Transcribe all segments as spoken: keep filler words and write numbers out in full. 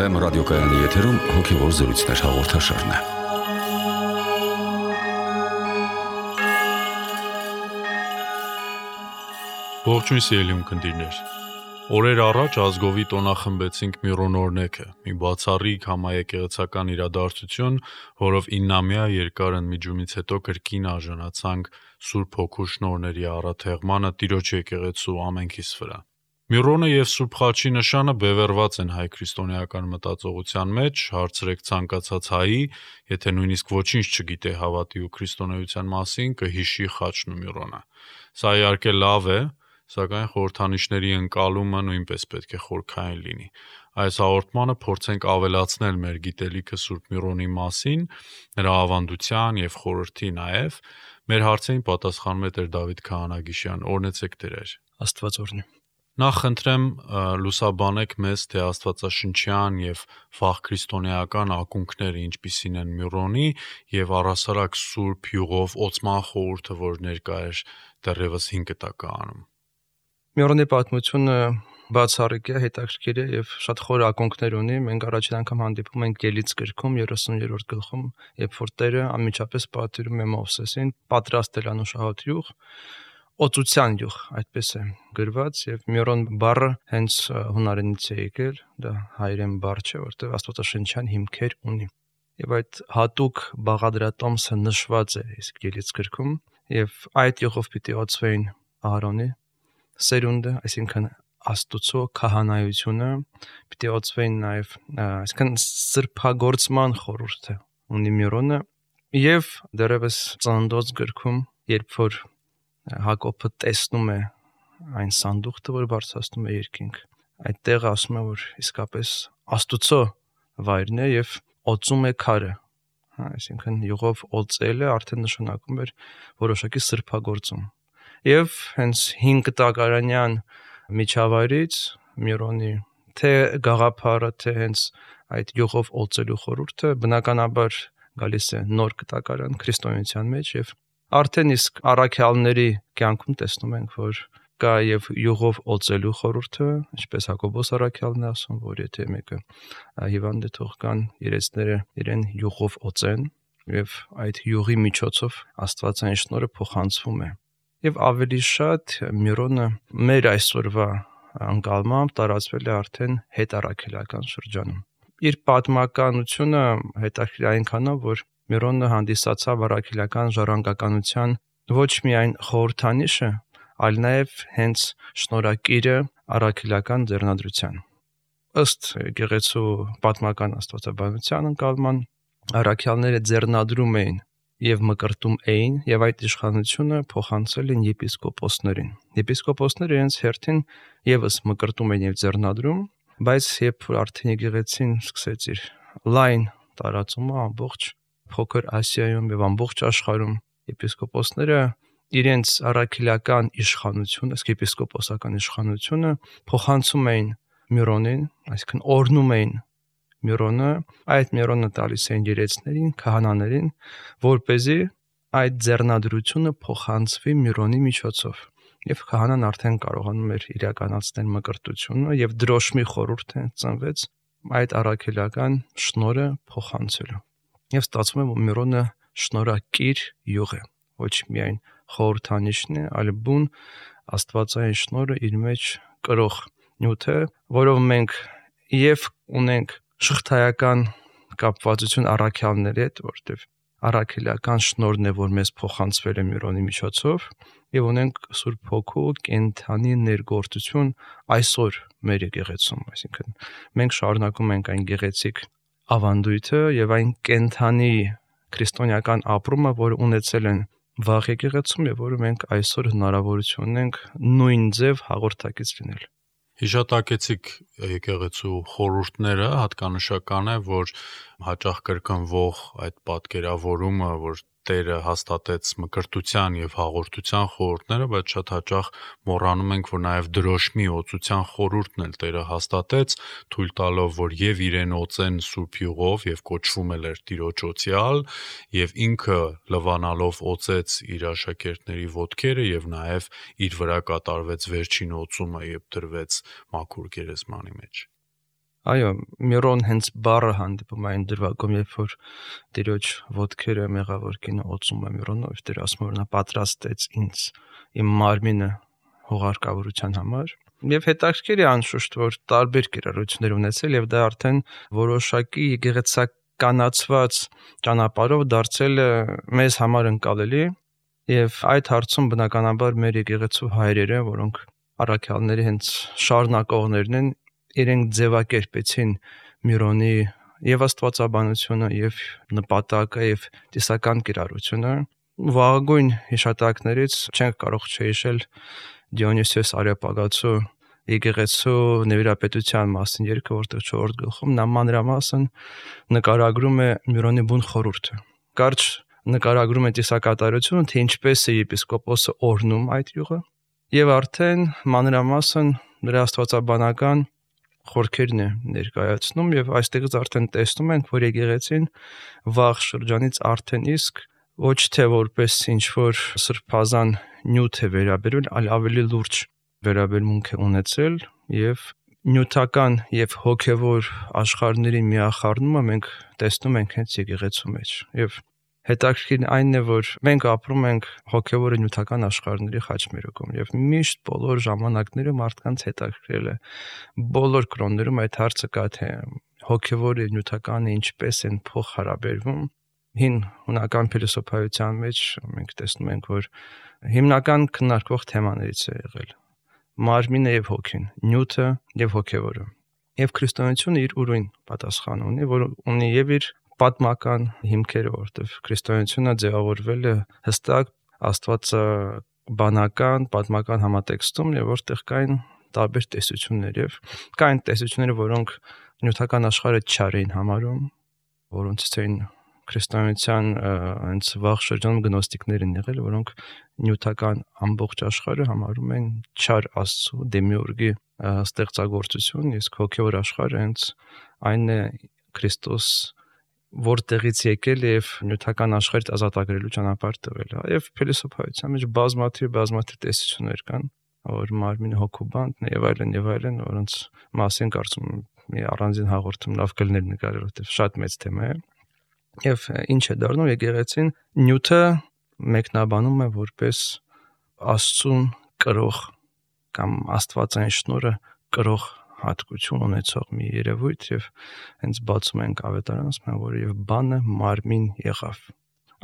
Վեմ ռադիոկայանի եթերում հոգևոր զրույցներ հաղորդաշարն է։ Ողջույն սիրելի ունկնդիրներ։ Օրեր առաջ ազգովի տոնախմբեցինք Միրոն օրհնեքը, մի բացառիկ համաեկեղեցական իրադարձություն, որով իննամյա երկար ընդմիջումից հետո կրկին արժանացանք Սուրբ Հոգու շնորհների առաթեղմանը Տիրոջ եկեղեցու ամենքիս վրա։ Միրոնը եւ Սուրբ Խաչի նշանը բևեռված են հայ քրիստոնեական մտածողության մեջ, հարցրեք ցանկացած հայի, եթե նույնիսկ ոչինչ չգիտե հավատի ու քրիստոնեության մասին, կհիշի Խաչն ու Միրոնը։ Սա իհարկե լավ է, սակայն խորհրդանիշների ընկալումը նույնպես պետք է խորքային լինի։ Այս հաղորդմանը փորձենք ավելացնել մեր գիտելիքը Սուրբ Միրոնի մասին, նրա ավանդության եւ խորհրդի նաեւ։ Մեր հարցերին պատասխանում է Տեր Դավիթ Քահանագիշյան։ Օրհնեցեք Տեր։ Աստված օրհնի։ Նախ խնդրեմ լուսաբանեք մեզ, թե աստվածաշնչյան եւ վաղ քրիստոնեական ակունքները ինչպիսին են Միրոնի եւ առհասարակ Սուրբ Յուղով Օծման խորհուրդը, որ ներկա էր դեռևս հինգ տականում։ Միրոնի պատմությունը բացառիկ է, հետաքրքիր է եւ շատ խոր ակունքներ ունի։ Մենք առաջին անգամ հանդիպում ենք Ելից գրքում երեսուններորդ գլխում, երբ որ Տերը անմիջապես պատվիրում է Մովսեսին պատրաստել անուշահոտ յուղ, օծության յուղ, այդպես է գրված, եւ Միրոն բառը հենց հունարենից է եկել, դա հայերեն բառ չէ, որտեղ աստվածաշնչյան հիմքեր ունի։ Եվ այդ հատուկ բաղադրատոմսը նշված է իսկ Ելից գրքում, եւ այդ յուղով պիտի օծվեին Ահարոնի սերունդը, այսինքն Աստուծո քահանայությունը, պիտի օծվեին նաեւ, այսինքն սրբագործման խորհուրդը ունի Միրոնը, եւ դեռևս Ծննդոց գրքում, երբ որ Հակոբը տեսնում է այն սանդուղքը, որ բարձրացնում է երկինք, այդտեղ ասում է, որ իսկապես Աստուծո վայրն է եւ օծում է քարը, այսինքն յուղով օծելը արդեն նշանակում էր որոշակի սրբագործում։ Եվ հենց հինգ տակարանյան միջավայրից Միրոնի թե գաղափարը, թե հենց այդ յուղով օծելու խորհուրդը բնականաբար գալիս է նոր տակարան քրիստոնեության մեջ, եւ արդեն իսկ առաքյալների կյանքում տեսնում ենք, որ կա եւ յուղով օծելու խորհուրդը, ինչպես Հակոբոս առաքյալն է ասում, որ եթե մեկը հիվանդ է, թող կան երեցները իրեն յուղով օծեն, եւ այդ յուղի միջոցով Աստվածային շնորհը փոխանցվում է։ Եվ ավելի շատ Միրոնը մեր այսօրվա անկալմամբ տարածվել է արդեն հետառաքելական շրջանում։ Իր պատմականությունը հետաքրքիր այնքանով, որ Միրոնը հանդիսացավ առաքելական ժառանգականության ոչ միայն խորհրդանիշը, այլ նաև հենց շնորհակիրը առաքելական ձեռնադրության։ Ըստ եկեղեցու պատմական աստվածաբանության ընկալման, առաքյալները ձեռնադրում էին եւ մկրտում էին, եւ այդ իշխանությունը փոխանցել են եպիսկոպոսներին։ Եպիսկոպոսները իրենց հերթին եւս մկրտում են եւ ձեռնադրում, բայց երբ որ արդեն եկեղեցին սկսեց իր լայն տարածումը ամբողջ Փոքր Ասիայում եւ ամբողջ աշխարհում, եպիսկոպոսները իրենց առաքելական իշխանությունը, իսկ եպիսկոպոսական իշխանությունը փոխանցում էին Միրոնին, այսինքն օրհնում էին Միրոնը, այդ Միրոնը տալիս էին երեցներին, քահանաներին, որպեսզի այդ ձեռնադրությունը փոխանցվի Միրոնի միջոցով։ Եվ քահանան արդեն կարողանում էր իրականացնել մկրտությունը, եւ դրոշմի խորհուրդը ծնվեց այդ առաքելական շնորհը փոխանցելու։ Եվ ստացվում է, որ Միրոնը շնորհակիր յուղ է, ոչ միայն խորհրդանիշն է, այլ բուն աստվածային շնորհը իր մեջ կրող նյութ է, որով մենք եւ ունենք շղթայական կապվածություն առաքյալների հետ, որտեղ առաքելական շնորհն է, որ մեզ փոխանցվել է Միրոնի միջոցով, եւ ունենք Սուրբ Հոգու կենթանի ներգործություն այսօր մեր եկեղեցում, այսինքն մենք շարունակում ենք այն գեղեցիկ ավանդույթը եւ այն կենթանի քրիստոնեական ապրումը, որ ունեցել են վաղ եկեղեցում եւ որը մենք այսօր հնարավորություն ունենք նույն ձև հաղորդակից լինել։ Հիշատակեցիք եկեղեցու խորհուրդները, հատկանշական է, որ հաճախ կրկնվող այդ պատկերավորումը, որ Տերը հաստատեց մկրտության եւ հաղորդության խորհուրդները, բայց շատ հաճախ մոռանում ենք, որ նաեւ դրոշմի օծության խորհուրդն էլ Տերը հաստատեց, թույլ տալով, որ եւ իրեն օծեն Սուրբ Յուղով եւ կոչվում էլ էր Տիրոջ օծյալ, եւ ինքը լվանալով օծեց իր աշակերտների ոտքերը եւ նաեւ իր վրա կատարվեց վերջին օծումը, երբ դրվեց մաքուր գերեզմանի մեջ։ Այո, միրոն հենց բառը հանդիպում այն դրվագում, երբ որ Տիրոջ ոտքերը մեղավոր կինը օծում է միրոնով, Տեր ասում որ նա պատրաստեց ինձ իմ մարմինը հողարկավորության համար։ Եվ հետաքրքիր է անշուշտ, որ տարբեր կիրառություններ ունեցել եւ դա արդեն որոշակի եկեղեցականացված ճանապարհով դարձել է մեզ համար ընկալելի եւ այդ հարցում բնականաբար մեր եկեղեցու հայրերը, որոնք առաքյալների հենց շարունակողներն են, իրենք ձևակերպեցին միրոնի եւ աստվածաբանությունը եւ նպատակը եւ տեսական կիրառությունը։ Վաղագույն հիշատակներից չենք կարող չհիշել Դիոնիսիոս Արեոպագացու եկեղեցու նվիրապետության մասին երգը, որտեղ չորրորդ գլխում նա մանրամասն նկարագրում է միրոնի բուն խորհուրդը։ Կարճ նկարագրում է տեսակատարությունը, թե ինչպես է եպիսկոպոսը օրհնում այդ յուղը եւ արդեն մանրամասն նրա աստվածաբանական խորքերն է ներկայացնում եւ այստեղից արդեն տեսնում ենք, որ եկեղեցին վաղ շրջանից արդեն իսկ ոչ թե որպես ինչ որ սրբազան նյութ է վերաբերվել, այլ ավելի լուրջ վերաբերմունք է ունեցել եւ նյութական եւ հոգեվոր աշխարհների միախառնումը մենք տեսնում ենք հենց եկեղեցու մեջ եւ հետաքրքիրն այն է, որ մենք ապրում ենք հոգեվոր ու նյութական աշխարհների խաչմերուկում եւ միշտ բոլոր ժամանակներում մարդկանց հետաքրքրել է բոլոր կրոններում այդ հարցը կա, թե հոգեվորը ու նյութականը ինչպես են փոխհարաբերվում։ Հին հունական փիլիսոփայության մեջ մենք տեսնում ենք, որ հիմնական քննարկվող թեմաներից է եղել մարմինը եւ հոգին, նյութը եւ հոգեվորը։ Եվ քրիստոնեությունը իր ուրույն պատասխան ունի, որ ունի եւ իր պատմական հիմքերը, որտեղ քրիստոնեությունը ձևավորվել է հստակ աստվածաբանական, պատմական համատեքստում, եւ որտեղ կային տարբեր տեսություններ եւ կային տեսություններ, որոնք նյութական աշխարհը չար էին համարում, որոնցից էին քրիստոնեության հենց վաղ շրջանում գնոստիկներ են եղել, որոնք նյութական ամբողջ աշխարհը համարում են չար Աստծո դեմիուրգի ստեղծագործություն, իսկ հոգեվոր աշխարհը հենց այն է Քրիստոս որտեղից եկել եւ նյութական աշխարհից ազատագրելու ճանապարհ տվել է։ Եվ փիլիսոփայության մեջ բազմաթիվ բազմաթիվ տեսություններ կան, որ մարմինը հոգու բանտն է եւ այլն եւ այլն, որոնց մասին կարծում եմ մի առանձին հաղորդում լավ կլներ նկարել, որտեղ շատ մեծ թեմա է։ Եվ ինչ է դառնում եկեղեցին նյութը մեկնաբանում է որպես Աստծուն կրող կամ աստվածային շնորհը կրող հատկություն ունեցող մի երևույթ եւ հենց բացում ենք ավետարանը, ասում են, որ եւ բանը մարմին եղավ։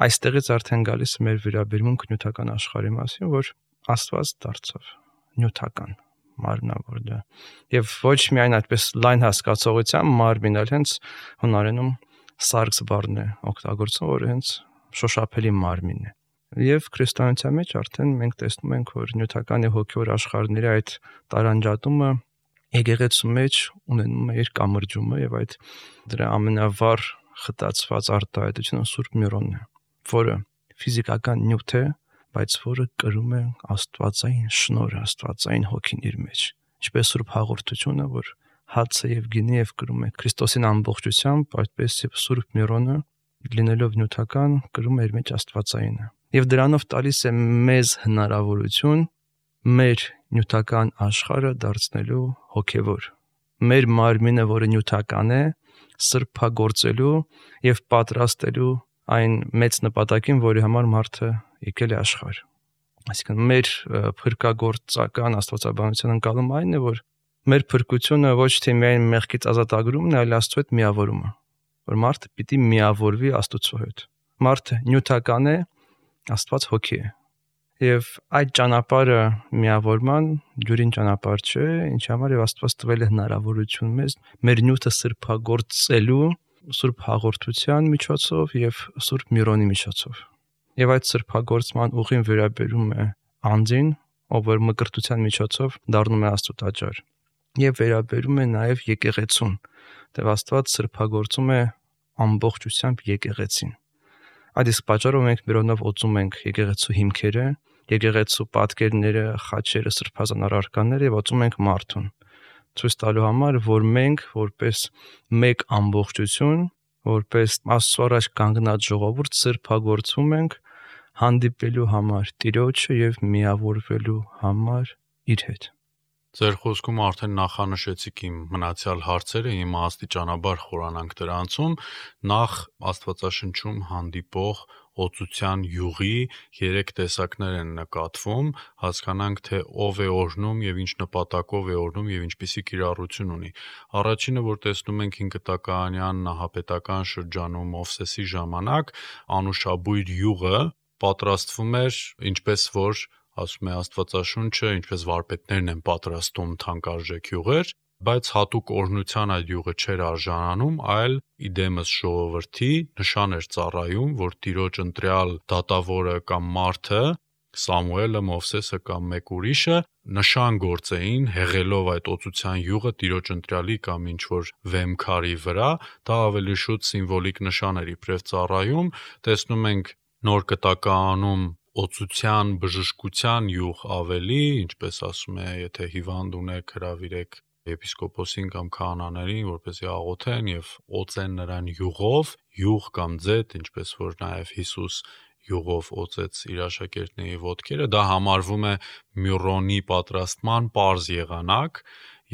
Այստեղից արդեն գալիս է մեր վերաբերմունք նյութական աշխարհի մասին, որ Աստված դարձավ նյութական, մարմնավոր դա։ Եվ ոչ միայն այդպես լայն հասկացողությամբ մարմին, այլ հենց հունարենում սարգս բառն է օգտագործվում, որը հենց շոշափելի մարմին է։ Եվ քրիստոնեության մեջ արդեն մենք տեսնում ենք, որ նյութական եւ հոգեվոր աշխարհների այդ տարանջատումը եկեղեցու մեջ ունենում է իր կամրջումը եւ այդ դրա ամենավառ խտացված արտահայտությունը Սուրբ Միրոնն է, որը ֆիզիկական նյութ է, բայց որը կրում է աստվածային շնորհը, աստվածային հոգին իր մեջ։ Ինչպես Սուրբ Հաղորդությունը, որ հացը եւ գինը եւ կրում է Քրիստոսին ամբողջությամբ, այդպես եւ Սուրբ Միրոնը լինելով նյութական կրում է իր մեջ աստվածայինը։ Եվ դրանով տալիս է մեզ հնարավորություն մեր նյութական աշխարհը դարձնելու հոգևոր։ Մեր մարմինը, որը նյութական է, սրբագործելու եւ պատրաստելու այն մեծ նպատակին, որի համար մարդը եկել է աշխարհ։ Այսինքն մեր փրկagorցական աստվածաբանության ընկալումը այն է, որ մեր փրկությունը ոչ թե միայն մեղքից ազատագրումն է, այլ Աստծո հետ միավորումը, որ մարդը պիտի միավորվի Աստծո հետ։ Մարդը նյութական է, Աստված հոգի է։ Եվ այդ ճանապարհը միավորման ջուրին ճանապարհ չէ, ինչի համար եւ Աստված տվել է հնարավորություն մեզ մեր նյութը սրբագործելու Սուրբ Հաղորդության միջոցով եւ Սուրբ Միրոնի միջոցով։ Եվ այդ սրբագործման ուղին վերաբերում է անձին, ով որ մկրտության միջոցով դառնում է Աստծո տաճար, եւ վերաբերում է նաեւ եկեղեցուն, դեռ Աստված սրբագործում է ամբողջությամբ եկեղեցին։ Այդ իսկ պատճառով մենք Միրոնով օծում ենք եկեղեցու հիմքերը, եկեղեցու պատկերները, խաչերը, սրբազան առարկաները եւ օծում ենք մարդուն, ցույց տալու համար, որ մենք որպես մեկ ամբողջություն, որպես Աստծո առաջ կանգնած ժողովուրդ սրբագործվում ենք հանդիպելու համար Տիրոջը եւ միավորվելու համար իր հետ։ Ձեր խոսքում արդեն նախանշեցիք իմ մնացյալ հարցերը, հիմա աստիճանաբար խորանանք դրանցում, նախ Աստվածաշնչում հանդիպող օծության յուղի երեք տեսակներ են նկատվում, հասկանանք թե ով է օրհնում եւ ինչ նպատակով է օրհնում եւ ինչպիսի կիրառություն ունի։ Առաջինը, որ տեսնում ենք հինգտակաանյան նահապետական շրջանում Մովսեսի ժամանակ, Անուշաբույր յուղը պատրաստվում էր, ինչպես որ ասում է Աստվածաշունչը, ինչպես վարպետներն են պատրաստում թանկարժեք յուղեր, բայց հատուկ օրհնության այդ յուղը չէր արժանանում, այլ իդեմս ժողովրդի նշան էր ծառայում, որ Տիրոջ ընտրյալ դատավորը կամ մարդը, Սամուելը, Մովսեսը կամ մեկ ուրիշը նշան գործեին, հեղելով այդ օծության յուղը Տիրոջ ընտրյալի կամ ինչ-որ վեմքարի վրա, դա ավելի շուտ սիմվոլիկ նշան էր իբրև ծառայում, տեսնում ենք Նոր Կտակաանում օծության, բժշկության յուղ ավելի, ինչպես ասում է, եթե հիվանդ ունեք, հրավիրեք եպիսկոպոսին կամ քահանաներին, որպեսզի աղոթեն եւ օծեն նրան յուղով, յուղ կամ ձետ, ինչպես որ նաեւ Հիսուս յուղով օծեց իր աշակերտների ոտքերը, դա համարվում է մյուրոնի պատրաստման պարզ եղանակ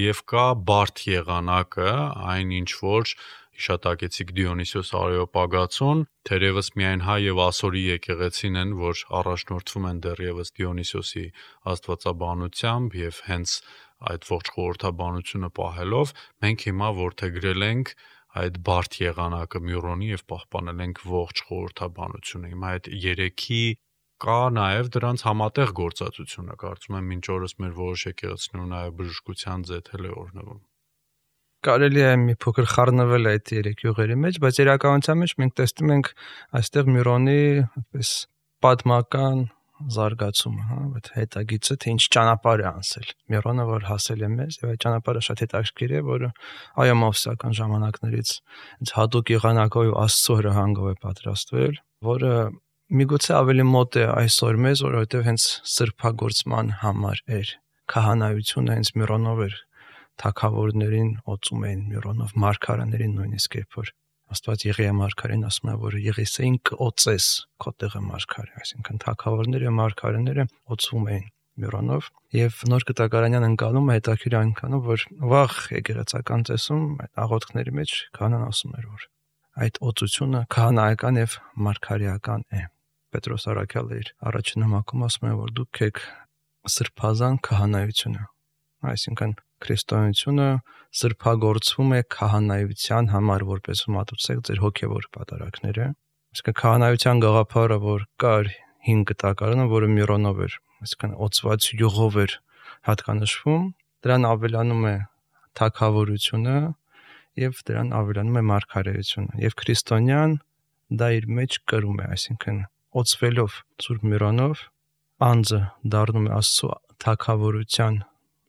եւ կա բարդ եղանակը, այն ինչ որ հիշատակեցիք Դիոնիսիոս Արեոպագացուն, թերևս միայն հայ եւ ասորի եկեղեցին են, որ առաջնորդվում են դեռևս Դիոնիսիոսի աստվածաբանությամբ եւ հենց այդ ողջ խորհրդաբանությունը պահելով, մենք հիմա որդեգրել ենք այդ բարդ եղանակը Մյուրոնի եւ պահպանել ենք ողջ խորհրդաբանությունը։ Հիմա այդ երեքի կա նաեւ դրանց համատեղ գործածությունը, կարծում եմ մինչ օրս մեր որոշ եկեղեցիներում նաեւ բժշկության ձեթել է օրնվում։ Կարելի է մի փոքր խառնվել այդ երեք յուղերի մեջ, բայց իրականության մեջ մենք տեսնում ենք այստեղ Մյուրոնի այդպես պատմական զարգացումը, հա, այդ հետագիծը, թե ինչ ճանապարհ է անցել Մյուրոնը, որ հասել է մեզ, եւ այդ ճանապարհը շատ հետաքրքիր է, որ այո մովսական ժամանակներից այս հատուկ եղանակով Աստծո հրահանգով է պատրաստվել, որը միգուցե ավելի մոտ է այսօր մեզ, որովհետեւ հենց սրբագործման համար էր քահանայությունը հենց Մյուրոնով էր թագավորներին օծում էին Մյուրոնով, մարգարեներին նույնիսկ երբ որ Աստված Եղիա մարգարեն ասում է, որ Եղիսեին կօծես քո տեղը մարգարե, այսինքն թագավորները, մարգարեները օծվում էին Մյուրոնով եւ Նոր Կտակարանյան ընկալում է հետաքրիր այնքանով, որ վաղ եկեղեցական ծեսում այդ աղոթքների մեջ քահանան ասում էր, որ այդ օծությունը քահանայական եւ մարգարեական է։ Պետրոս Արաքյալը իր առաջին նամակում ասում է, որ դուք եք սրբազան քահանայությունը, այսինքն քրիստոնեությունը սրբագործվում է քահանայության համար, որպես մատուցեք ձեր հոգևոր պատարակները։ Այսինքն քահանայության գաղափարը, որ կար հին Կտակարանը, որը Մյուրոնով էր, այսինքն օծված յուղով էր հատկանշվում, դրան ավելանում է թագավորությունը եւ դրան ավելանում է մարգարեությունը։ Եվ քրիստոնյան դա իր մեջ կրում է, այսինքն օծվելով Սուրբ Մյուրոնով անձը դառնում է Աստծո թագավորության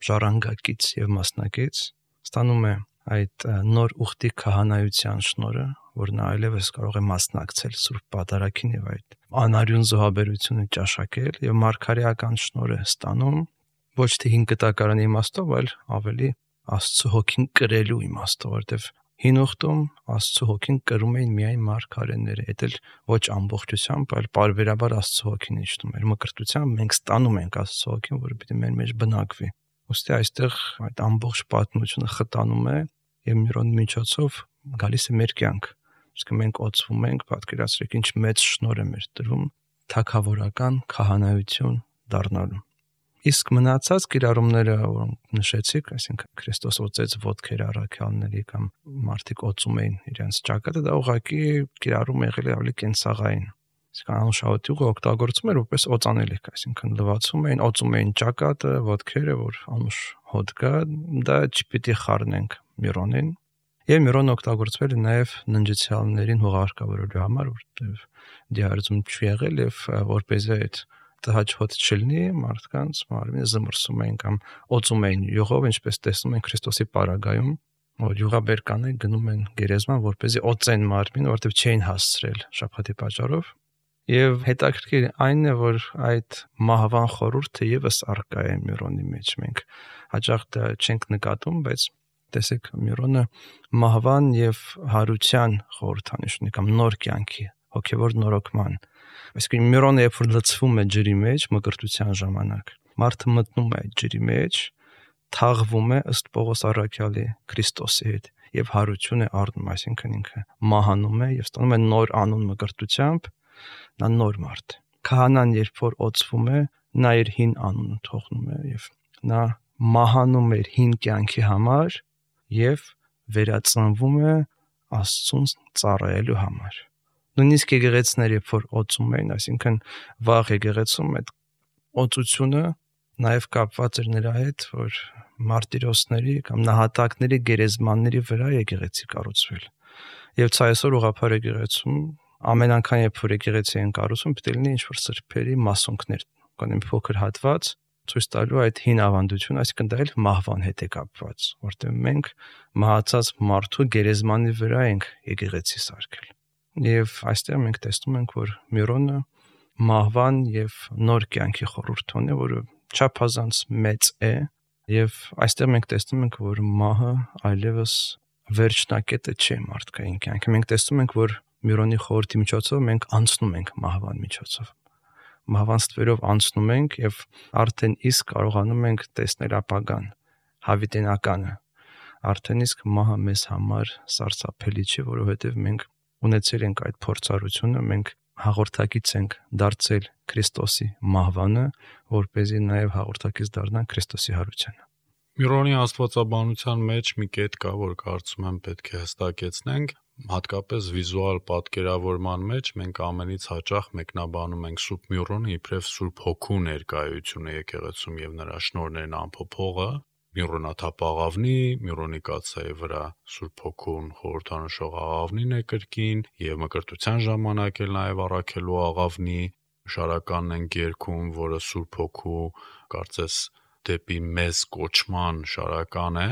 ժառանգակից եւ մասնակից, ստանում է այդ նոր ուխտի քահանայության շնորհը, որ նա այլևս կարող է մասնակցել Սուրբ Պատարագին եւ այդ անարյուն զոհաբերությունը ճաշակել եւ մարգարեական շնորհը ստանում ոչ թե հին Կտակարանի իմաստով, այլ ավելի Աստծո հոգին կրելու իմաստով, որովհետեւ հին ուխտում Աստծո հոգին կրում էին միայն մարգարեները, դա էլ ոչ ամբողջությամբ, այլ պարբերաբար Աստծո հոգին իջնում էր։ Մկրտությամբ մենք ստանում ենք Աստծո հոգին, որը պիտի մեր մեջ բնակվի։ Ոստի այստեղ այդ ամբողջ պատմությունը խտանում է եւ Մյուրոնի միջոցով գալիս է մեր կյանք։ Իսկ մենք օծվում ենք, պատկերացրեք ինչ մեծ շնորհ է մեր տրվում թագավորական քահանայություն դառնալու։ Իսկ մնացած կիրառումները, որոնք նշեցիք, այսինքն Քրիստոս օծեց ոտքերը առաքյալների կամ մարդիկ օծում էին իրենց ճակատը, դա ուղղակի կիրառում եղել է ավելի կենսաղային։ Իսկ անուշահոտյուղը օգտագործում էր որպես օծանելիք, այսինքն լվացում էին, օծում էին ճակատը, ոտքերը, որ անուշ հոտ կա, դա չպիտի խառնենք Մյուրոնին։ Եվ Մյուրոնը օգտագործվել է նաև ննջեցյալներին հողարկավորելու համար, որտեղ դիահերձում չի եղել եւ որպեսզի այդ տհաճ հոտ չլինի, մարդկանց մարմինը զմռսում էին կամ օծում էին յուղով, ինչպես տեսնում ենք Քրիստոսի պարագայում, որ յուղաբերկանը գնում են գերեզման, որպեսզի օծեն մարմինը, որտեղ չէին հասցրել շաբաթի պատճառով։ Եվ հետաքրքիր այն է, որ այդ մահվան խորհուրդը եւս արկա է Մյուրոնի մեջ։ Մենք հաճախ դա չենք նկատում, բայց տեսեք Մյուրոնը մահվան եւ հարության խորհրդանիշ ունի կամ նոր կյանքի, հոգեվոր նորոգման։ Այսինքն Մյուրոնը երբ որ լցվում է ջրի մեջ մկրտության ժամանակ, մարդը մտնում է այդ ջրի մեջ, թաղվում է ըստ Պողոս առաքյալի Քրիստոսի հետ եւ հարություն է առնում, այսինքն ինքը մահանում է եւ ստանում է նոր անուն մկրտությամբ, նա նոր մարդ է։ Քահանան երբ որ օծվում է, նա իր հին անունը թողնում է եւ նա մահանում է հին կյանքի համար եւ վերածնվում է Աստծուն ծառայելու համար։ Նույնիսկ եկեղեցիները երբ որ օծում էին, այսինքն վաղ եկեղեցում այդ օծությունը նաև կապված էր նրա հետ, որ մարտիրոսների կամ նահատակների գերեզմանների վրա եկեղեցի կառուցվել։ Եվ ցա այսօր ուղղափառ եկեղեցում ամեն անգամ երբ որ եկեղեցի են կառուցում, պետք է լինի ինչ-որ սրբերի մասունքներ, կամ մի փոքր հատված ցույց տալու այդ հին ավանդություն, այսինքն դա էլ մահվան հետ է կապված, որտեղ մենք մահացած մարդու գերեզմանի վրա ենք եկեղեցի սարքել։ Եվ այստեղ մենք տեսնում ենք, որ Միրոնը մահվան եւ նոր կյանքի խորհուրդ ունի, որը չափազանց մեծ է, եւ այստեղ մենք տեսնում ենք, որ մահը այլևս վերջնակետը չէ մարդկային կյանքի։ Մենք տեսնում ենք, որ Միրոնի խորհրդի միջոցով մենք անցնում ենք մահվան միջոցով։ Մահվան ստվերով անցնում ենք եւ արդեն իսկ կարողանում ենք տեսնել ապագան, հավիտենականը։ Արդեն իսկ մահը մեզ համար սարսափելի չէ, որովհետեւ մենք ունեցել ենք այդ փորձառությունը, մենք հաղորդակից ենք դարձել Քրիստոսի մահվանը, որպեսզի նաև հաղորդակից դառնանք Քրիստոսի հարությանը։ Միրոնի աստվածաբանության մեջ մի կետ կա, որ կարծում եմ պետք է հստակեցնենք, հատկապես վիզուալ պատկերավորման մեջ մենք ամենից հաճախ մեկնաբանում ենք Սուրբ Միրոնը իբրև Սուրբ Հոգու ներկայությունը եկեղեցում եւ նրա շնորհներն ամփոփողը, Միրոնաթափաղավնի, Միրոնի կաթսայի վրա Սուրբ Հոգուն խորհրդանշող աղավնին է կրկին եւ մկրտության ժամանակ էլ նաեւ առաքելու աղավնի շարականն են երգում, որը Սուրբ Հոգու կարծես դեպի մեզ կոչման շարական է,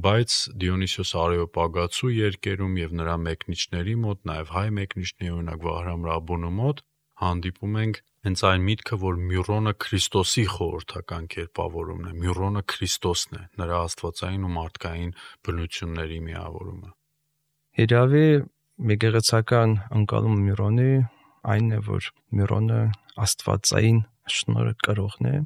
բայց Դիոնիսիոս Արեոպագացու երկերում եւ նրա մեկնիչների մոտ, նաեւ հայ մեկնիչների օրինակ Վահրամ Ռաբունու մոտ հանդիպում ենք հենց այն միտքը, որ Միրոնը Քրիստոսի խորհրդական կերպավորումն է, Միրոնը Քրիստոսն է, նրա աստվածային ու մարդկային բնությունների միավորումը։ Իրավի եկեղեցական ընկալումը Միրոնի այն է, որ Միրոնը աստվածային շնորհը կրողն է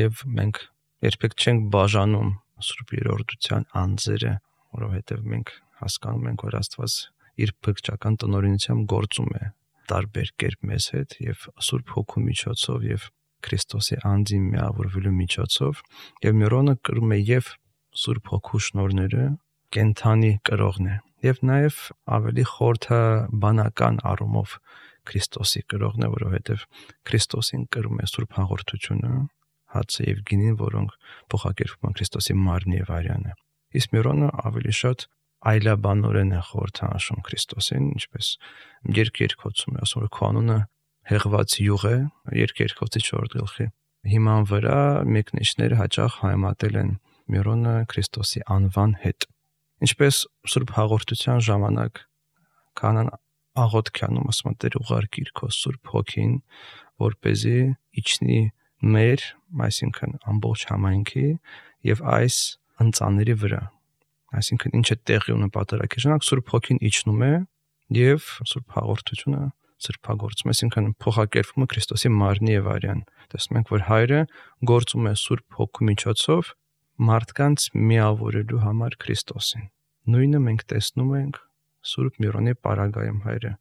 եւ մենք երբեք չենք բաժանում Սուրբ Երրորդության անձերը, որովհետեւ մենք հասկանում ենք, որ Աստված իր փրկչական տնօրինությամբ գործում է տարբեր կերպ մեզ հետ եւ Սուրբ Հոգու միջոցով եւ Քրիստոսի անձի միավորվելու միջոցով եւ Միրոնը կրում է եւ Սուրբ Հոգու շնորհները, կենթանի կրողն է եւ նաեւ ավելի խորհրդաբանական առումով Քրիստոսի կրողն է, որովհետեւ Քրիստոսին կրում է Սուրբ Հաղորդությունը, հացը եւ գինին, որոնք փոխակերպում են Քրիստոսի մարմնի եւ արյանը։ Իսկ Միրոնը ավելի շատ այլաբանորեն է խորհրդանշում Քրիստոսին, ինչպես երկերկոցում է, ասում որ քո անունը հեղված յուղ է, երկերկոցի չորրորդ գլխի հիման վրա մեկնիչները հաճախ համատել են Միրոնը Քրիստոսի անվան հետ։ Ինչպես Սուրբ Հաղորդության ժամանակ քահանան աղոթքանում ասում Տեր ուղարկիր քո Սուրբ Հոգին, որպեսզի իջնի մեր, այսինքն ամբողջ համայնքի եւ այս ընծաների վրա, այսինքն ինչ է տեղի ունի պատարագի ժամանակ Սուրբ Հոգին իջնում է եւ Սուրբ Հաղորդությունը սրբագործում, այսինքն փոխակերպվում է Քրիստոսի մարմնի եւ արյան։ Տեսնում ենք, որ Հայրը գործում է Սուրբ Հոգու միջոցով մարդկանց միավորելու համար Քրիստոսին։ Նույնը մենք տեսնում ենք Սուրբ Միրոնի պարագայում Հայրը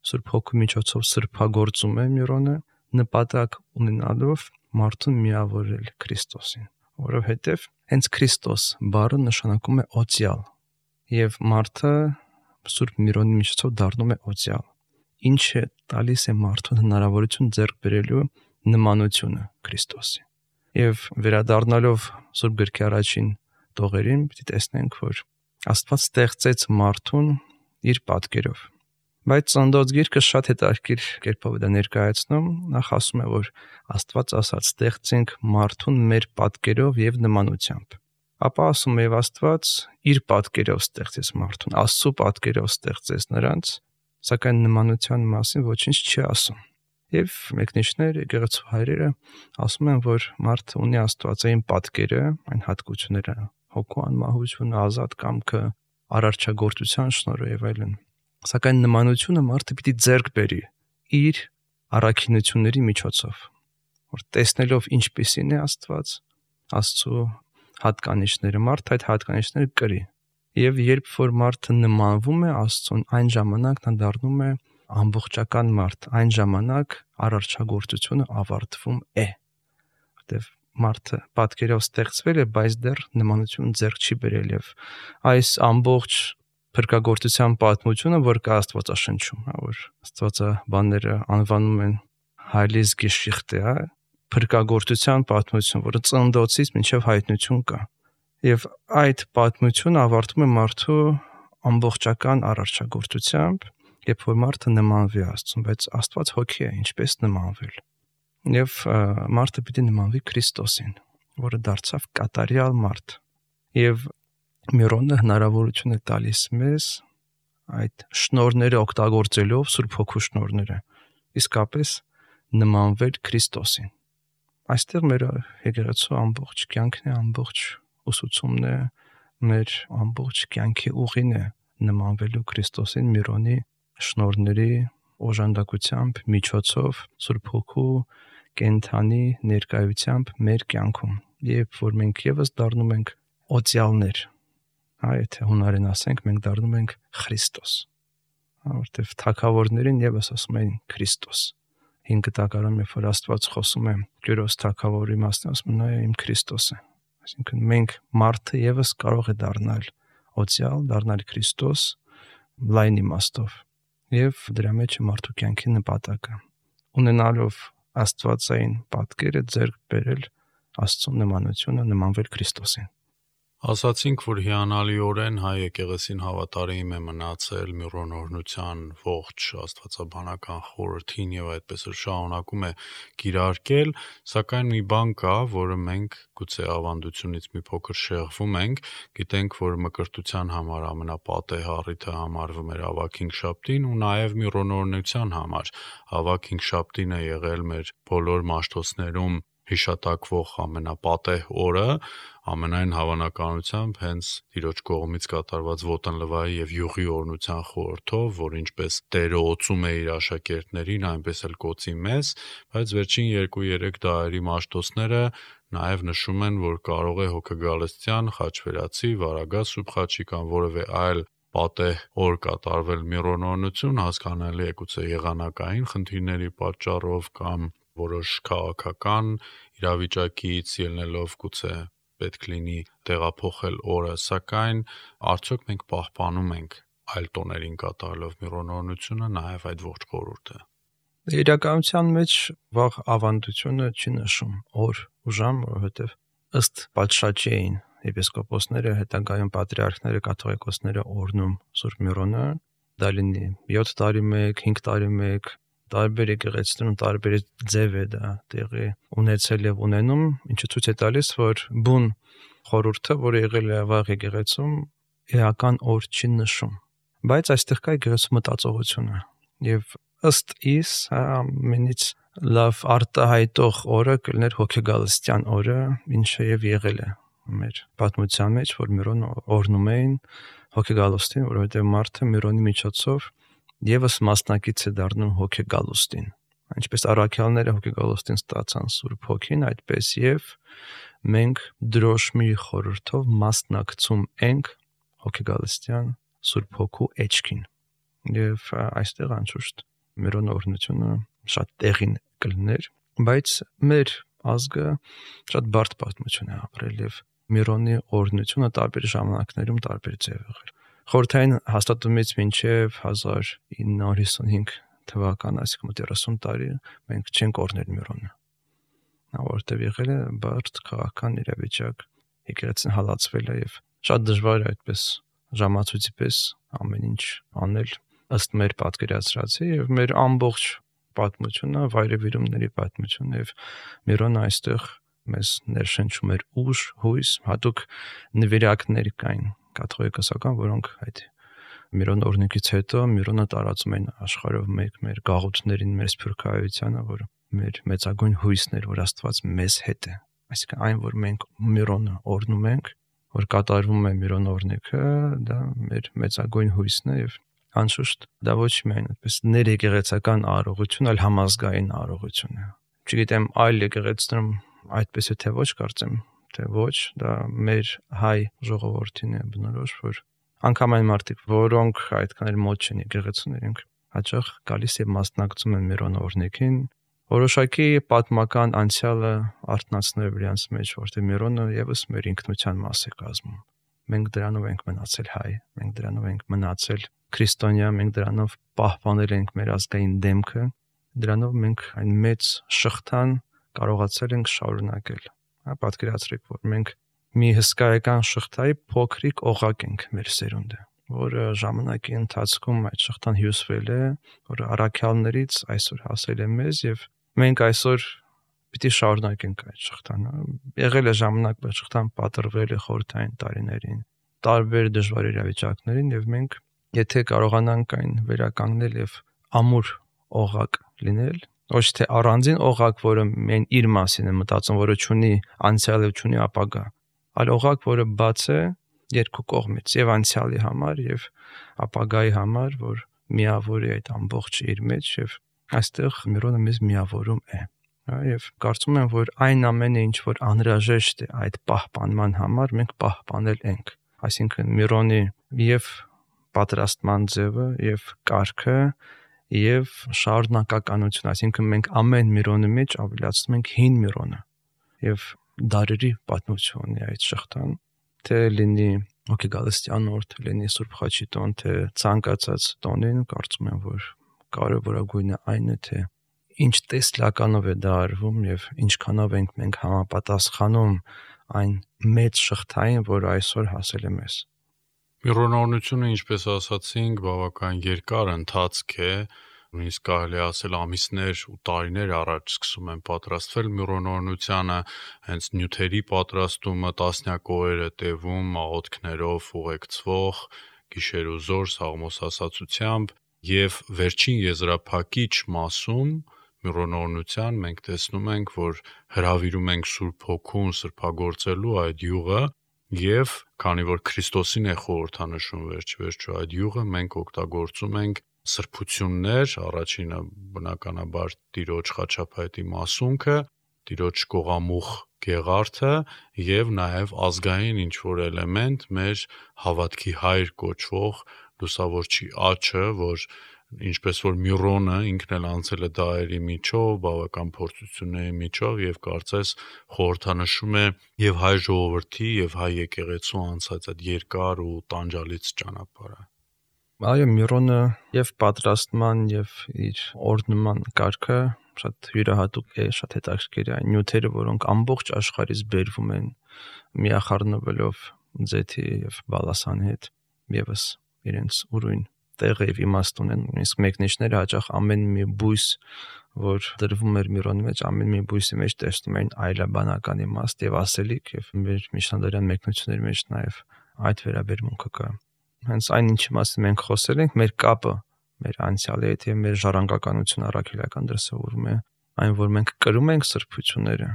Սուրբ Հոգու միջոցով սրբագործում է Միրոնը, նպատակ ունենալով մարդուն միավորել Քրիստոսին, որովհետև հենց Քրիստոս բառը նշանակում է օծյալ, եւ մարդը Սուրբ Միրոնի միջոցով դառնում է օծյալ, ինչը տալիս է մարդուն հնարավորություն ձեռք բերելու նմանությունը Քրիստոսի։ Եվ վերադառնալով Սուրբ գրքի առաջին տողերին, պիտի տեսնենք, որ Աստված ստեղծեց մարդուն իր պատկերով։ Բայց Ծննդոց գիրքը շատ հետաքրքիր կերպով դա ներկայացնում, նախ ասում է, որ Աստված ասաց ստեղծենք մարդուն մեր պատկերով եւ նմանությամբ։ Ապա ասում է, եւ Աստված իր պատկերով ստեղծեց մարդուն, Աստծո պատկերով ստեղծեց նրանց, սակայն նմանության մասին ոչինչ չի ասում։ Եվ մեկնիչներ, եկեղեցու հայրերը ասում են, որ մարդը ունի աստվածային պատկերը, այն հատկությունները, հոգու անմահությունը, ազատ կամքը, արարչագործության շնորհը եւ այլն։ Սակայն նմանությունը մարդը պիտի ձեռք բերի իր առաքինությունների միջոցով, որ տեսնելով ինչպիսին է Աստված, Աստծո հատկանիշները, մարդ այդ հատկանիշները կրի։ Եվ երբ որ մարդը նմանվում է Աստծուն, այն ժամանակ նա դառնում է ամբողջական մարդ, այն ժամանակ արարչագործությունը ավարտվում է։ Որտեվ մարդը պատկերով ստեղծվել է, բայց դեռ նմանություն ձեռք չի բերել եւ այս ամբողջ փրկagorցության պատմությունը, որ կա Աստվածաշնչում, հա, որ Աստվածաբանները անվանում են Heilige Geschichte, հա, փրկagorցության պատմություն, որը ծննդոցից մինչև հայտնություն կա։ Եվ այդ պատմությունը ավարտվում է մարդու ամբողջական արարչագործությամբ, երբ որ մարդը նմանվի Աստծուն, բայց Աստված հոգի է, ինչպես նմանվել։ Եվ մարդը պիտի նմանվի Քրիստոսին, որը դարձավ կատարյալ մարդ։ Եվ Միրոնը հնարավորություն է տալիս մեզ այդ շնորհները օգտագործելով, Սուրբ Հոգու շնորհները, իսկապես նմանվել Քրիստոսին։ Այստեղ մեր եկեղեցու ամբողջ կյանքն է, ամբողջ ուսուցումն է, մեր ամբողջ կյանքի ուղին է նմանվելու Քրիստոսին Միրոնի շնորհների օժանդակությամբ, միջոցով, Սուրբ Հոգու կենթանի ներկայությամբ մեր կյանքում, երբ որ մենք եւս դառնում ենք օծյալներ, հա, եթե հունարեն ասենք, մենք դառնում ենք Քրիստոս, հա, որտեվ թագավորներին եւս ասում են Քրիստոս։ Հին կտակարանում, երբ որ Աստված խոսում է Կյուրոս թագավորի մասին, ասում նա իմ Քրիստոսը։ Այսինքն մենք մարդը եւս կարող է դառնալ օծյալ, դառնալ Քրիստոս լայն իմաստով։ Եվ դրա մեջ է մարդու կյանքի նպատակը, ունենալով Աստվածային պատկերը ձեռք բերել Աստծո նմանությունը, նմանվել Քրիստոսին։ Ասացինք, որ հիանալիորեն հայ եկեղեցին հավատարիմ է մնացել Միրոն օրհնության ողջ աստվածաբանական խորհրդին եւ այդպես էլ շարունակում է կիրարկել, սակայն մի բան կա, որը մենք գուցե ավանդությունից մի փոքր շեղվում ենք, գիտենք, որ մկրտության համար ամենապատեհ առիթը համարվում էր ավագ հինգշաբթին ու նաեւ Միրոն օրհնության համար ավագ հինգշաբթին է եղել մեր բոլոր մաշտոցներում հիշատակվող ամենապատեհ օրը, ամենայն հավանականությամբ հենց Տիրոջ կողմից կատարված ոտնլվայի եւ յուղի օրհնության խորհրդով, որ ինչպես Տերը օծում է իր աշակերտներին, այնպես էլ կօծի մեզ, բայց վերջին երկու-երեք դարերի մաշտոցները նաեւ նշում են, որ կարող է հոգեգալստյան, խաչվերացի, վարագած սուրբ խաչի կամ որևէ այլ պատեհ օր կատարվել Միրոն օրհնություն, հասկանալի է գուցե եղանակային խնդիրների պատճառով կամ որոշ քաղաքական իրավիճակից ելնելով գուցե պետք լինի տեղափոխել օրը, սակայն արդյոք մենք պահպանում ենք այլ տոներին կատարելով Միրոն օրհնությունը, նաև այդ ողջ խորհուրդը։ Իրականության մեջ վաղ ավանդությունը չի նշում օր ու ժամ, որովհետև ըստ պատշաճի էին եպիսկոպոսները, հետագայում պատրիարքները, կաթողիկոսները օրհնում Սուրբ Միրոնը, դա լինի յոթ տարի մեկ, հինգ տարի մեկ, տարբեր եկեղեցիներում տարբեր ձև է դա տեղի ունեցել եւ ունենում, ինչը ցույց է տալիս, որ բուն խորհուրդը, որը եղել է վաղ եկեղեցում, էական օր չի նշում։ Բայց այստեղ կա եկեղեցու մտածողությունը եւ ըստ իս ամենից լավ արտահայտող օրը կլներ հոգեգալստյան օրը, ինչը եւ եղել է մեր պատմության մեջ, որ Միրոն օրհնում էին հոգեգալստին, որովհետեւ մարդը Միրոնի միջոցով եւս մասնակից է դառնում հոգեգալուստին։ Ինչպես առաքյալները հոգեգալուստին ստացան Սուրբ Հոգին, այդպես եւ մենք դրոշմի խորհրդով մասնակցում ենք հոգեգալստյան Սուրբ Հոգու էջքին։ Եվ այստեղ անշուշտ Միրոն օրհնությունը շատ տեղին կլներ, բայց մեր ազգը շատ բարդ պատմություն է ապրել եւ Միրոնի օրհնությունը տարբեր ժամանակներում տարբեր ձև եղել։ Խորհրդային հաստատումից մինչև հազար ինը հարյուր հիսունհինգ թվական, այսինքն մոտ երեսուն տարի մենք չենք օրհնել Միրոնը։ Նա որտեղ եղել է բարդ քաղաքական իրավիճակ, եկեղեցին հալածվել է եւ շատ դժվար է այդպես ժամացույցի պես ամեն ինչ անել ըստ մեր պատկերացրածի եւ մեր ամբողջ պատմությունը, վայրեվիրումների պատմությունը եւ Միրոնը այստեղ մեզ ներշնչում էր ուժ, հույս, հատուկ նվիրակներ կային կաթողիկոսական, որոնք այդ Միրոն օրհնությունից հետո Միրոնը տարածում են աշխարհով մեկ մեր գաղութներին, մեր սփյուռքահայությանը, որ մեր մեծագույն հույսն էր, որ Աստված մեզ հետ է։ Այսինքն այն, որ մենք Միրոնը օրհնում ենք, որ կատարվում է Միրոն օրհնիքը, դա մեր մեծագույն հույսն է եւ անշուշտ դա ոչ միայն այդպես ներեկեղեցական արարողություն, այլ համազգային արարողություն է։ Չգիտեմ այլ եկեղեցիներում այդպես է թե ոչ, կարծեմ թե ոչ, դա մեր հայ ժողովրդին է բնորոշ, որ անգամ այն մարդիկ, որոնք այդքան էլ մոտ չեն եկեղեցուն, իրենք հաճախ գալիս եւ մասնակցում են Միրոնի օրհնեքին, որոշակի պատմական անցյալը արթնացնելով իրենց մեջ, որտեղ Միրոնը եւս մեր ինքնության մաս է կազմում։ Մենք դրանով ենք մնացել հայ, մենք դրանով ենք մնացել քրիստոնյա, մենք դրանով պահպանել ենք մեր ազգային դեմքը, դրանով մենք այն մեծ շղթան կարողացել ենք շարունակել։ Հա, պատկերացրեք, որ մենք մի հսկայական շղթայի փոքրիկ օղակ ենք մեր սերունդը, որը ժամանակի ընթացքում այդ շղթան հյուսվել է, որ առաքյալներից այսօր հասել է մեզ եւ մենք այսօր պիտի շարունակենք այդ շղթան։ Եղել է ժամանակ, որ շղթան պատրվել է խորհրդային տարիներին, տարբեր դժվար իրավիճակներին եւ մենք եթե կարողանանք այն վերականգնել եւ ամուր օղակ լինել, ոչ թե առանձին օղակ, որը միայն իր մասին է մտածում, որը ունի անցյալ եւ ունի ապագա, այլ օղակ, որը բաց է երկու կողմից եւ անցյալի համար եւ ապագայի համար, որ միավոր է այդ ամբողջը իր մեջ եւ այստեղ Միրոնը մեզ միավորում է։ Եվ կարծում եմ, որ այն ամենը, ինչ որ անհրաժեշտ է այդ պահպանման համար, մենք պահպանել ենք։ Այսինքն Միրոնի եւ պատրաստման ձևը եւ կարգը եւ շարունակականություն, այսինքն մենք ամեն Միրոնի մեջ ավելացնում ենք հին Միրոնը եւ դարերի պատմությունն է այդ շղթան, թե լինի հոգեգալստյանորդ, լինի Սուրբ Խաչի տոն, թե ցանկացած տոնին, կարծում եմ, որ կարևորագույնը այն է, թե ինչ տեսլականով է դա արվում եւ ինչքանով ենք մենք համապատասխանում այն մեծ շղթային, որ այսօր հասել է մեզ։ Միրոնորնությունը, ինչպես ասացինք, բավական երկար ընթացք է, նույնիսկ կարելի ասել ամիսներ ու տարիներ առաջ սկսում են պատրաստվել միրոնորնությանը, հենց նյութերի պատրաստումը տասնյակ օրեր է տևում, աղոթքներով ուղեկցվող, գիշեր ու զոր սաղմոսասացությամբ եւ վերջին եզրափակիչ մասում Միրոնորնության մենք տեսնում ենք, որ հրավիրում ենք Սուրբ Հոգուն սրբագործելու այդ յուղը եւ քանի որ Քրիստոսին է խորհրդանշում վերջ-վերջո այդ յուղը, մենք օգտագործում ենք սրբություններ, առաջինը բնականաբար Տիրոջ խաչափայտի մասունքը, Տիրոջ կողամուխ գեղարդը եւ նաեւ ազգային ինչ-որ էլեմենտ մեր հավատքի հայր կոչվող լուսավորչի աչը, որ ինչպես որ Միրոնը ինքն էլ անցել է դարերի միջով, բավական փորձությունների միջով եւ կարծես խորհրդանշում է եւ հայ ժողովրդի եւ հայ եկեղեցու անցած այդ երկար ու տանջալից ճանապարհը։ Այո, Միրոնը եւ պատրաստման եւ իր օրհնման կարգը շատ յուրահատուկ է, շատ հետաքրքիր է։ Այն նյութերը, որոնք ամբողջ աշխարհից բերվում են միախառնվելով ձեթի եւ բալասանի հետ, եւս իրենց ուրույն տեղը եւ իմաստ ունեն, նույնիսկ մեկնիչները հաճախ ամեն մի բույս, որ դրվում էր Միրոնի մեջ, ամեն մի բույսի մեջ տեսնում էին այլաբանական իմաստ եւ ասելիք եւ մեր միջնադարյան մեկնությունների մեջ նաեւ այդ վերաբերմունքը կա։ Հենց այն ինչի մասին մենք խոսել ենք, մեր կապը մեր անցյալի հետ եւ մեր ժառանգականությունը առաքելական դրսևորում է այն, որ մենք կրում ենք սրբությունները,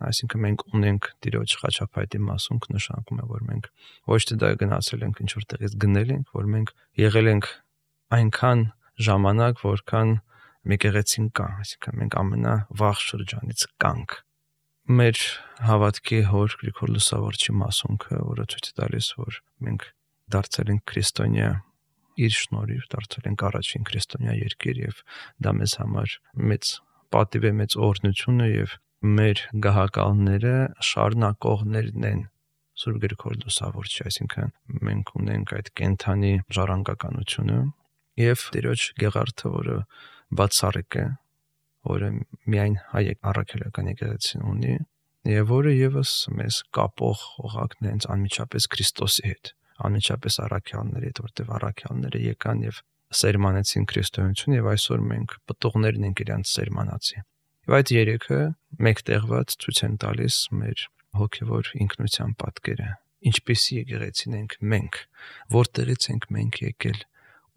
այսինքն մենք ունենք Տիրոջ խաչափայտի մասունք, նշանակում է, որ մենք ոչ թե դա գնացել ենք ինչ-որ տեղից գնել ենք, որ մենք եղել ենք այնքան ժամանակ, որքան եկեղեցին կա, այսինքն մենք ամենավաղ շրջանից կանք։ Մեր հավատքի հոր Գրիգոր Լուսավորչի մասունքը, որը ցույց է տալիս, որ մենք դարձել ենք քրիստոնյա իր շնորհիվ, դարձել ենք առաջին քրիստոնյա երկիր եւ դա մեզ համար մեծ պատիվ է, մեծ օրհնություն է եւ մեր գահակալները շարունակողներն են Սուրբ Գրիգոր Լուսավորչի, այսինքն մենք ունենք այդ կենթանի ժառանգականությունը եւ Տիրոջ գեղարդը, որը բացառիկ է, որը միայն հայ առաքելական եկեղեցին ունի եւ որը եւս մեզ կապող օղակն է հենց անմիջապես Քրիստոսի հետ, անմիջապես առաքյալների հետ, որտեղ առաքյալները եկան եւ սերմանեցին քրիստոնեություն եւ այսօր մենք պտուղներն ենք իրենց սերմանացի։ Եվ այդ երեքը մեկտեղված ցույց են տալիս մեր հոգևոր ինքնության պատկերը, ինչպեսի եկեղեցին ենք մենք, որտեղից ենք մենք եկել,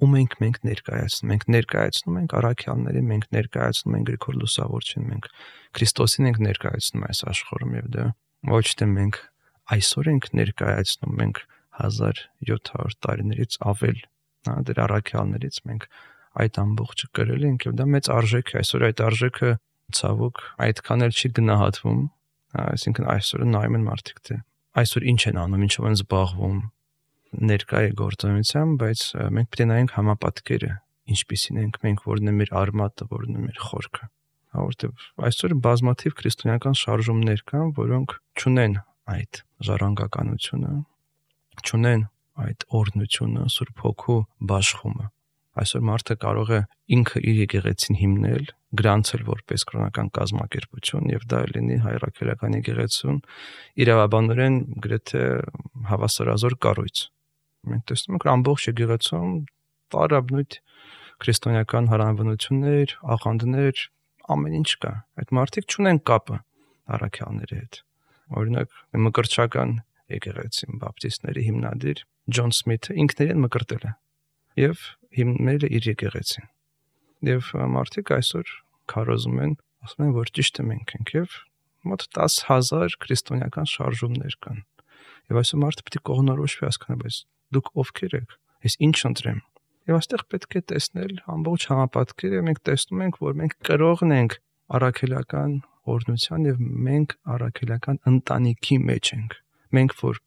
ում ենք մենք ներկայացնում, մենք ներկայացնում ենք առաքյալներին, մենք ներկայացնում ենք Գրիգոր Լուսավորչին, մենք Քրիստոսին ենք ներկայացնում այս աշխարհում եւ դա ոչ թե մենք այսօր ենք ներկայացնում, մենք հազար յոթ հարյուր տարիներից ավել, հա, դեր առաքյալներից մենք այդ ամբողջը կրել ենք եւ դա մեծ արժեք է, այսօր այդ արժեքը ցավոք այդքան էլ չի գնահատվում Այսինքն այսօր նայում են մարդիկ թե այսօր ինչ են անում, ինչով են զբաղվում, ներկա է գործունեությամբ, բայց մենք պետք է նայենք համապատկերը, ինչպիսին ենք մենք, որն է մեր արմատը, որն է մեր խորքը։ Որտեւ այսօր բազմաթիվ քրիստոնեական շարժումներ կան, որոնք չունեն այդ ժառանգականությունը, չունեն այդ օրհնությունը, Սուրբ Հոգու բաշխումը։ Այսօր մարդը կարող է ինքը իր եկեղեցին հիմնել, գրանցել որպես կրոնական կազմակերպություն եւ դա լինի հայրաքելական եկեղեցուն իրավաբանորեն գրեթե հավասարազոր կառույց։ Մենք տեսնում ենք ամբողջ եկեղեցում տարաբնույթ քրիստոնեական հարանվանություններ, աղանդներ, ամեն ինչ կա։ Այդ մարդիկ չունեն կապը առաքյալների հետ։ Օրինակ, մկրտչական եկեղեցին բապտիստների հիմնադիր Ջոն Սմիթը ինքներին մկրտել է եւ հիմնել է իր եկեղեցին։ Եվ մարդիկ այսօր քարոզում են, ասում են, որ ճիշտ է մենք ենք եւ մոտ դաս հազար քրիստոնեական շարժումներ կան։ Եվ այսօր մարդը պետք է կողմնորոշվի հասկանա, բայց դուք ովքեր եք, ես ինչ ընտրեմ։ Եվ այստեղ պետք է տեսնել ամբողջ համապատկերը, մենք տեսնում ենք, որ մենք կրողն ենք առաքելական օրհնության եւ մենք առաքելական ընտանիքի մեջ ենք։ Մենք որ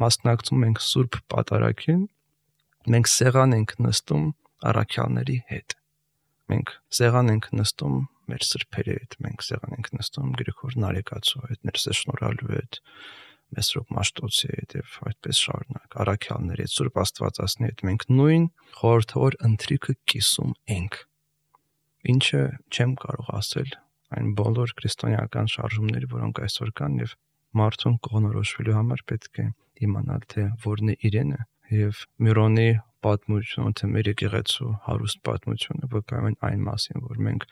մասնակցում ենք Սուրբ Պատարագին, մենք սեղան ենք նստում առաքյալների հետ։ Մենք սեղան ենք նստում մեր սրբերի հետ, մենք սեղան ենք նստում Գրիգոր Նարեկացու հետ, Ներսես Շնորհալու հետ, Մեսրոպ Մաշտոցի հետ եւ այդպես շարունակ առաքյալների հետ, Սուրբ Աստվածածնի հետ մենք նույն խորհրդավոր ընթրիքը կիսում ենք։ Ինչը չեմ կարող ասել այն բոլոր քրիստոնեական շարժումների, որոնք այսօր կան եւ մարդուն կողնորոշվելու համար պետք է իմանալ թե որն է իրենը եւ Միրոնի պատմությունը, թե մեր եկեղեցու հարուստ պատմությունը վկայում են այն մասին, որ մենք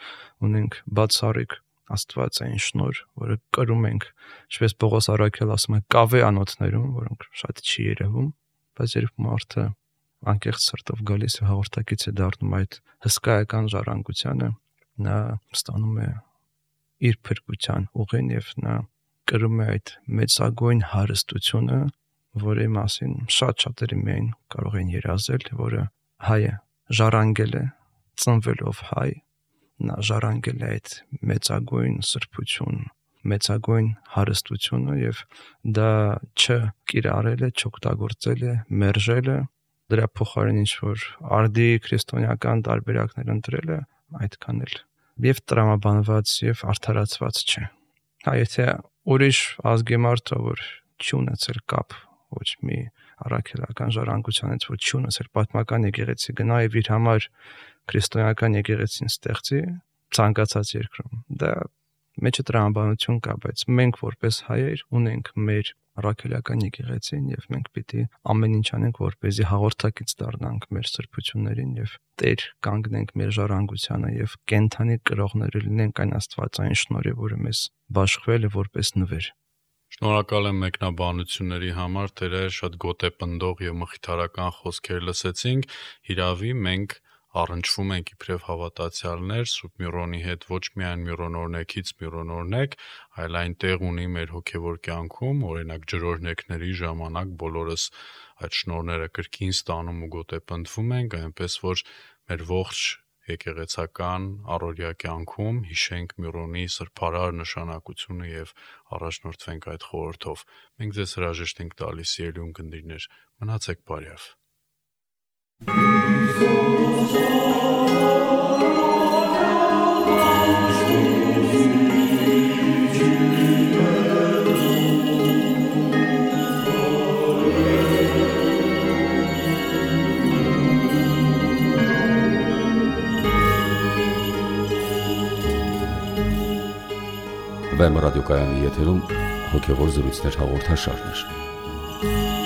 ունենք բացառիկ Աստվածային շնորհ, որը կրում ենք, ինչպես Պողոս առաքյալ ասում է, կավե անոթներում, որոնք շատ չի երևում, բայց երբ մարդը անկեղծ սրտով գալիս է հաղորդակից է դառնում այդ հսկայական ժառանգությանը, նա ստանում է իր փրկության ուղին եւ նա կրում է այդ մեծագույն հարստությունը, որի մասին շատ շատերը միայն կարող են երազել, որը հայը ժառանգել է, ծնվելով հայ, նա ժառանգել է այդ մեծագույն սրբություն, մեծագույն հարստությունը եւ դա չկիրառել է, չօգտագործել է, մերժել է, դրա փոխարեն ինչ որ արդի քրիստոնեական տարբերակներ ընտրել է, այդքան էլ եւ տրամաբանված եւ արդարացված չէ։ Հա, եթե ուրիշ ազգի մարդը, որ չի ունեցել կապ ոչ մի առաքելական ժառանգությանից, որ չի ունեցել պատմական եկեղեցի, գնա եւ իր համար քրիստոնեական եկեղեցին ստեղծի ցանկացած երկրում, դա մեջը տրամաբանություն կա, բայց մենք որպես հայեր ունենք մեր առաքելական եկեղեցին եւ մենք պիտի ամեն ինչ անենք, որպեսզի հաղորդակից դառնանք մեր սրբություններին եւ Տեր կանգնենք մեր ժառանգությանը եւ կենթանի կրողները լինենք այն Աստվածային շնորհի, որը մեզ բաշխվել է որպես նվեր։ Շնորհակալ եմ մեկնաբանությունների համար, Տերը շատ գոտեպնդող եւ մխիթարական խոսքեր լսեցինք։ Հիրավի մենք առնչվում ենք իբրև հավատացյալներ Սուրբ Միրոնի հետ ոչ միայն միրոնորնեկից միրոնորնեք, այլ այն տեղ ունի մեր հոգևոր կյանքում, օրինակ ջրօրհնեկների ժամանակ բոլորս այդ շնորհները կրկին ստանում ու գոտեպնդվում ենք, այնպես որ մեր ողջ եկեղեցական առօրյա կյանքում հիշենք Միրոնի սրբարար նշանակությունը եւ առաջնորդվենք այդ խորհրդով։ Մենք ձեզ հրաժեշտ ենք տալիս, սիրելի ունկնդիրներ, մնացեք բարյավ։ Վեմ ռադիոկայանի եթերում հոգևոր զրույցներ հաղորդաշարներ։